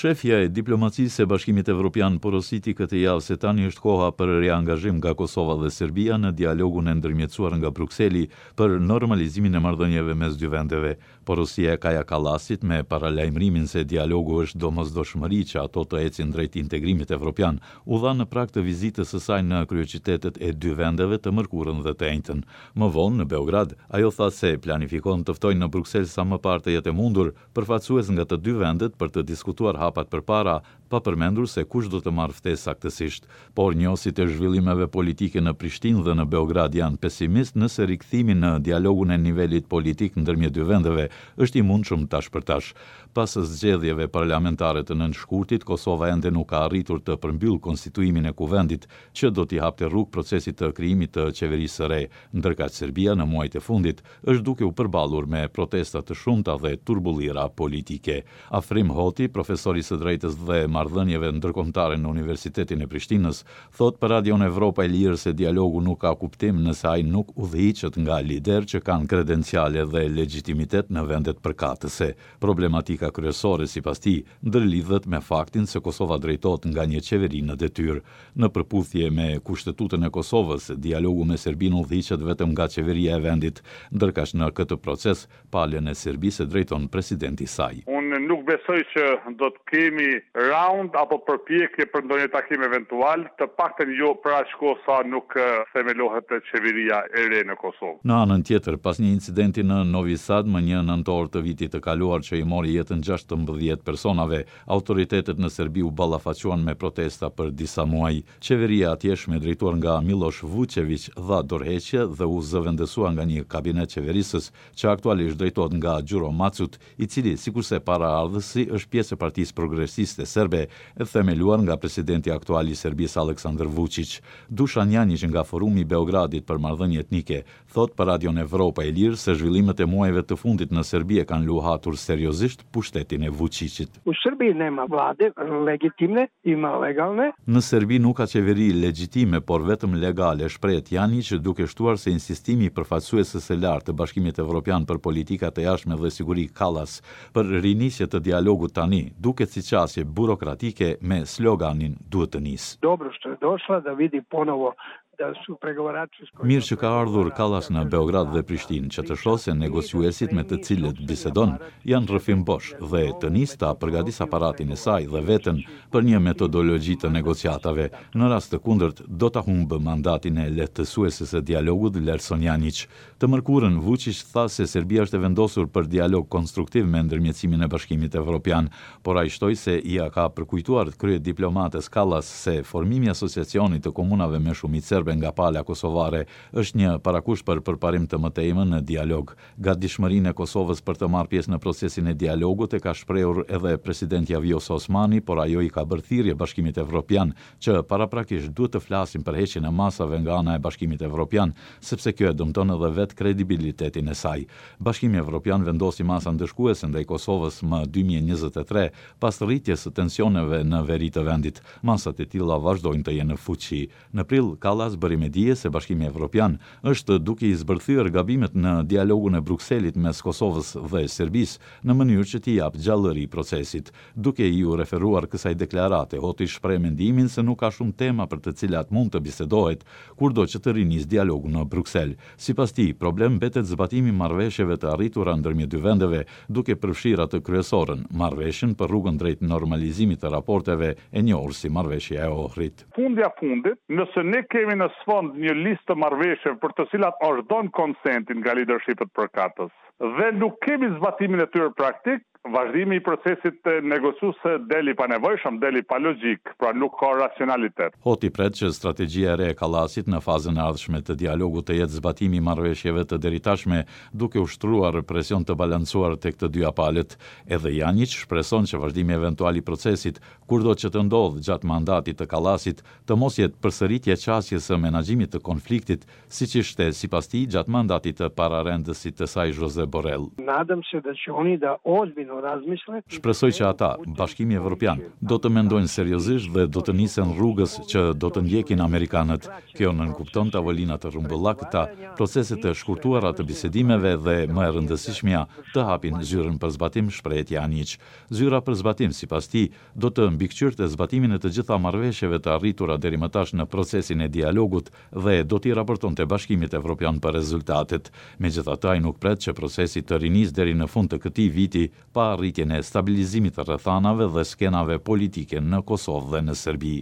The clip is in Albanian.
Shefja e diplomacisë së Bashkimit Evropian porositi këtë javë se tani është koha për riangazhim nga Kosova dhe Serbia në dialogun e ndërmjetësuar nga Brukseli për normalizimin e marrëdhënieve mes dy vendeve. Porosia e Kaja Kallasit me paralajmërimin se dialogu është domosdoshmëri që ato të ecin drejt integrimit evropian, u dha në prag të vizitës së saj në kryeqytetet e dy vendeve të mërkurën dhe të enjten. Më vonë, në Beograd, ajo tha se planifikon të ftojë në Bruksel sa më parë të jetë e mundur përfaqësues nga të dy vendet për të diskutuar hapat përpara, pa përmendur se kush do të marrë ftesë saktësisht. Por njohësit e zhvillimeve politike në Prishtinë dhe në Beograd janë pesimistë nëse rikthimi në dialogun e nivelit politik ndërmjet dy vendeve është i mundshëm tash për tash. Pas zgjedhjeve parlamentare të nëntë shkurtit, Kosova ende nuk ka arritur të përmbyllë konstituimin e Kuvendit, që do t'i hapte rrugë procesit të krijimit të qeverisë së re, ndërkaq Serbia në muajt e fundit është duke u përballur me protesta të shumta dhe turbullira politike. Afrim Hoti, profesor i së drejtës dhe marrëdhënieve ndërkombëtare në Universitetin e Prishtinës, thotë për Radion Evropa e Lirë se dialogu nuk ka kuptim nëse ai nuk udhëhiqet nga liderë që kanë kredenciale dhe legjitimitet në vendet përkatëse. Problematika kryesore, sipas tij, ndërlidhet me faktin se Kosova drejtohet nga një qeveri në detyrë. Në përputhje me Kushtetutën e Kosovës, dialogu me Serbinë udhëhiqet vetëm nga qeveria e vendit, ndërkaq në këtë proces, palën e Serbisë e drejton presidenti i saj. Unë nuk besoj që do të kemi raund apo përpjekje për ndonjë takim eventual, të paktën jo për aq kohë sa nuk themelohet qeveria e re në Kosovë. Në anën tjetër, pas një incidenti në Novi Sad më një nëntor të vitit të kaluar që i mori jetën 16 personave, Autoritetet në Serbi u ballafaquan me protesta për disa muaj. Qeveria e atjeshme e drejtuar nga Millosh Vuçeviq dha dorëheqje dhe u zëvendësua nga një kabinet qeverisës që aktualisht drejtohet nga Gjuro Macut, i cili, sikurse paraardhësi, është pjesë e Partisë Progresiste Serbe, e themeluar nga presidenti aktual i Serbisë Aleksandër Vuçiq. Dushan Janjiq nga Forumi i Beogradit për Marrëdhënie Etnike, thotë për Radion Evropa e Lirë se zhvillimet e muajve të fundit në Serbi e kanë luhatur seriozisht pushtetin e Vuçiqit. U Srbiji nema vlade legitimne, ima legalne. Në Serbi nuk ka qeveri legjitime, por vetëm legale, shprehet Janjiq, duke shtuar se insistimi i përfaqësueses së lartë të Bashkimit Evropian për Politika të Jashtme dhe Siguri Kallas për rinisje të dialogut tani, duket si qasje burokratike me sloganin duhet të nisë. Dobro što je došla da vidi ponovo Mirë që ka ardhur Kallas në Beograd dhe Prishtinë, që të shohë se negociuesit me të cilët bisedon janë rrëfim bosh dhe të nisë ta përgatisë aparatin e saj dhe veten për një metodologji të negociatave. Në rast të kundërt, do ta humbë mandatin e lehtësueses së dialogut, vlerëson Janjiq. Të mërkurën, Vuçiq tha se Serbia është e vendosur për dialog konstruktiv me ndërmjetësimin e Bashkimit Evropian, por ai shtoi se ia ka përkujtuar kryediplomates Kallas se formimi i Asociacionit të Komunave me shumicë serbe nga pala kosovare është një parakusht për përparim të mëtejmë në dialog. Gatishmërinë e Kosovës për të marrë pjesë në procesin e dialogut e ka shprehur edhe presidentja Vjosa Osmani, por ajo i ka bërë thirrje Bashkimit Evropian që paraprakisht duhet të flasin për heqjen e masave nga ana e Bashkimit Evropian, sepse kjo e dëmton edhe vetë kredibilitetin e saj. Bashkimi Evropian vendosi masa ndëshkuese ndaj Kosovës më 2023, pas rritjes së tensioneve në veri të vendit. Masat e tilla vazhdojnë të jenë në fuqi. Në prill, Kallas bëri me dije se Bashkimi Evropian është duke i zbërthyer gabimet në dialogun e Brukselit mes Kosovës dhe Serbisë, në mënyrë që t'i japë gjallëri procesit. Duke iu referuar kësaj deklarate, Hoti shpreh mendimin se nuk ka shumë tema për të cilat mund të bisedohet, kurdo që të rinisë dialogu në Bruksel. Sipas tij, problem mbetet zbatimi i marrëveshjeve të arritura ndërmjet dy vendeve, duke përfshirë atë kryesoren, marrëveshjen për rrugën drejt normalizimit të raporteve, e njohur si Marrëveshja e Ohrit. Fundja fundit, nëse ne kemi në sfond një listë të marrëveshjeve për të cilat është dhënë konsenti nga lidershipet përkatës dhe nuk kemi zbatimin e tyre praktik, vazhdimi i procesit negociues del i panevojshëm, del i palogjik, pra nuk ka racionalitet. Hoti pret që strategjia e re e Kallasit në fazën e ardhshme të dialogut të jetë zbatimi i marrëveshjeve të deritashme, duke ushtruar presion të balancuar tek të dyja palët. Edhe Janjiq shpreson që vazhdimi eventual i procesit, kurdo që të ndodhë gjatë mandatit të Kallasit, të mos jetë përsëritje e qasjes së menaxhimit të konfliktit, siç ishte, sipas tij, gjatë mandatit të pararendësit të saj Josep Borrell. Nadam se da će oni da ozbiljno. Ozbiljno razmisle. Shpresoj që ata, Bashkimi Evropian, do të mendojnë seriozisht dhe do të nisen rrugës që do të ndjekin amerikanët. Kjo nënkupton tavolina të rrumbullakëta, procese të shkurtuara të bisedimeve dhe, më e rëndësishmja, të hapin zyrën për zbatim, shprehet Janjiq. Zyra për zbatim, sipas tij, do të mbikëqyrte zbatimin e të gjitha marrëveshjeve të arritura deri më tash në procesin e dialogut dhe do t'i raportonte Bashkimit Evropian për rezultatet. Megjithatë, ai nuk pret që procesi të rinisë deri në fund të këtij viti pa arritjen e stabilizimit të rrethanave dhe skenave politike në Kosovë dhe në Serbi.